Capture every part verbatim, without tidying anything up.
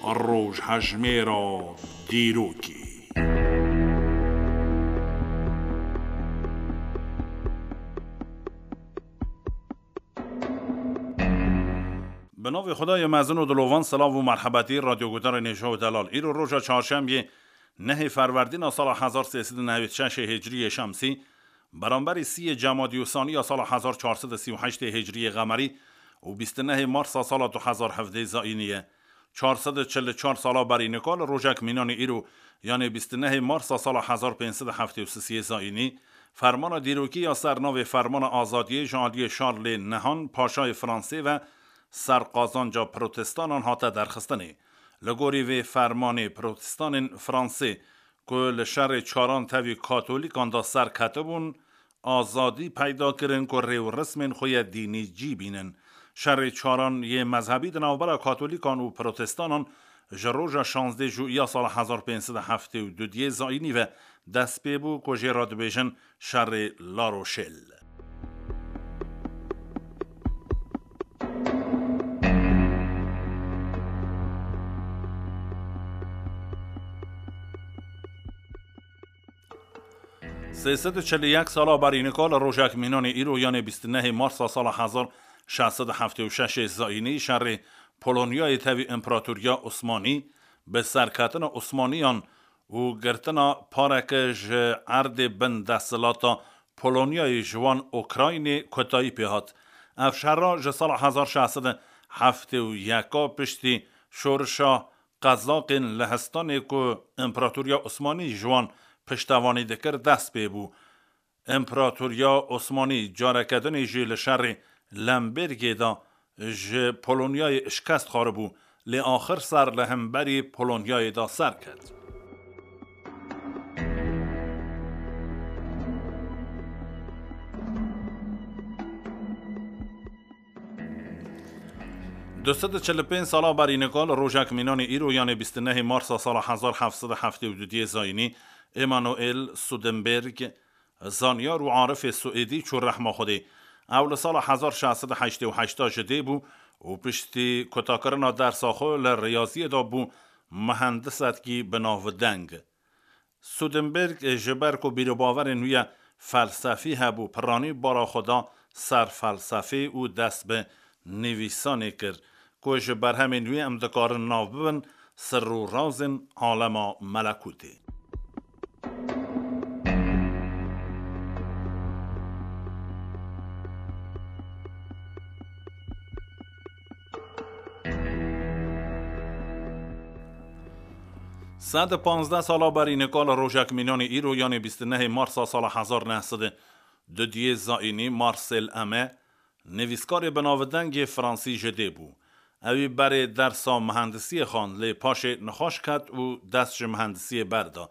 Rojhejmêra dîrokê. Bi navê Xwedayê mezin û dilovan, silav û merhebetî radyoguhdarên hêja û delal. Îro roja çarşembiyê, nehê ferwerdîna sala hezar sê sed û newêd şeşê hicriyê şemsî, beramberî sîyê cemadî û saniya sala hezar çar sed û sî û heştê hicriyê qemerî û bîst û nehê marsa sala du hezar hevdê zayînî ye. Çar sed û çil û çar sala berî nika li rojek mînanê îro, yanê bîst û nehê marsa sala hezar pênc sed û heftê û sisê zayînî, fermana dîrokî ya ser navê Fermana Azadiyê ji aliyê Şarlê Nehan, Paşayê Fransê ve ser qazanca protestanan hate derxistinê. Li gorî vê fermanê, protestanên Fransê ku li şerê çaran tevî katolîkan de ser ketibûn, azadî peyda kirin ku rê û rismên xwe yê dînî cî bînin. Şerê çaran yê mezhebî di navbera katolîkan û protestanan ji roja şazdeh Juîya sala hezar pênc sed û heftê û du diyê zayînî ve dest pê bû, ku jê re dibêjin şerê La Rochelle. Sê sed û çil û yek sala berî nika li rojek mînanê îro, yanê bîst û nehê Marsa sala hezar şeş sed û heftê û şeş zayînî, şerê Polonyayê tevî Împaratoriya Osmanî bi serketina Osmaniyan û girtina pareke ji erdê bin desthilata Polonyayê ji wan Ukraynê kotayî pê hat. Ev şerra ji sala hezar şeş sed û heftê û yeka piştî şorişa Qezaqên Lehistanê ku Împaratoriya Osmanî ji wan piştevanî dikir, dest pê bû. Împaratoriya Osmanî careke dinê jî li şerê Lembergê de ji Polonyayê şikest xwaribû, lê axir ser li hemberî Polonyayê de serket. Du sed û çil û pênc sala berî nika li rojek mînanê îro, yanê bîst û nehê Marsa sala hezar heft sed û heftê û du diyê zayînî, Emanuel Sudenberg, zanyar û arifê Swêdî çû rehma Xwedê. Ew li sala hezar şeş sed û heştê û heşt ji dê bû û piştî kutakirina dersa xwe li riyaziyê de bû muhendisetkî bi navdeng. Sudenberg ji ber ku bîr û bawerên wî ye felsefî hebû, piranî bara xwe da ser felsefê û dest bi nivîsanê kir, ku ji berhemên wî em dikarin nav bibin Sir û Razên Alema Melekûtê. Sed û panzdeh sala berî nika li rojek mînanê îro, yanê bîst û nehê Marsa sala hezar neh sed û du diyê zayînî, Marcel Aimé, nivîskarê bi navdengê fransî ji dê bû. Ewî berê dersa mihendisiyê xwend, lê paşê nexweş ket û dest ji mihendisiyê berda.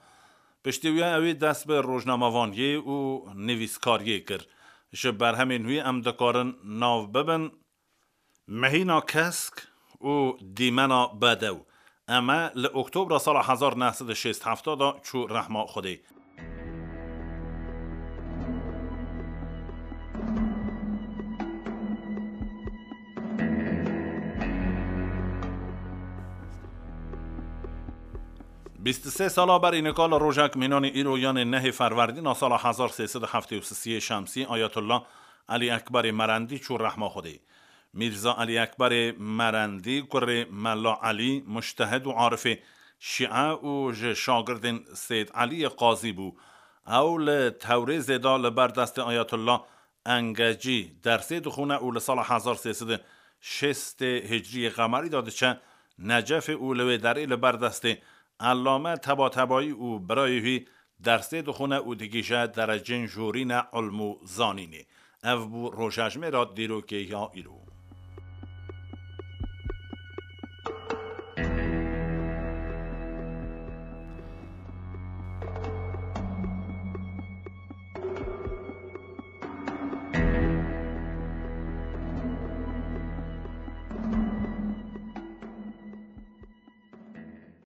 Piştî wî ewî dest bi rojnamevaniyê û nivîskariyê kir. Ji berhemên wî em dikarin nav bibin Mehîna Kesk û Dîmena Bedew. Aimé li Oktobra sala hezar neh sed û şêst heft de çû rehma Xwedê. Bîst û sê sala berî nika li rojek mînanê îro, yanê nehê Ferwerdîna sala hezar sê sed û heftê û sisê şemsî, Ayetullah Elî Ekberê Merendî çû rehma Xwedê. Mîrza Elî Ekberê Merendî, kurê Mela Elî, mujtehid û arifê şîe û ji şagirdên Seyd Eliyê Qazî bû. Ew li Tewrêzê de li ber destê Ayetullah Engecî dersê dixwîne û li sala hezar sê sed û şêst hicriyê qemerî de diçe Necefê û li wê derê li ber destê Ellame Tebatebayî û birayê wî dersê dixwîne û digihîje derecên jorîne ilm û zanînê. Ev bû rojejmêra dîrokê ya îro.